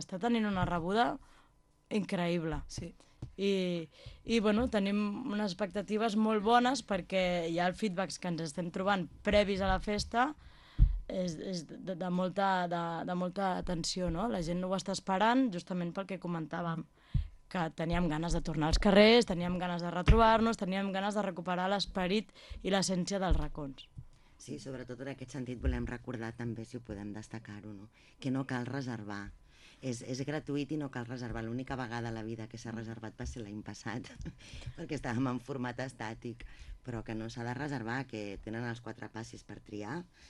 està tenint una rebuda increïble. Sí. Bueno, tenim unes expectatives molt bones perquè ja el feedback que ens estem trobant previs a la festa és de molta atenció, no? La gent ho està esperant justament pel que comentàvem, que teníem ganes de tornar als carrers, teníem ganes de retrobar-nos, teníem ganes de recuperar l'esperit i l'essència dels racons. Sí, sobretot en aquest sentit volem recordar també, si ho podem destacar-ho, no? Que no cal reservar. És gratuït i no cal reservar. L'única vegada a la vida que s'ha reservat va ser l'any passat, perquè estàvem en format estàtic, però que no s'ha de reservar, que tenen els 4 passis per triar,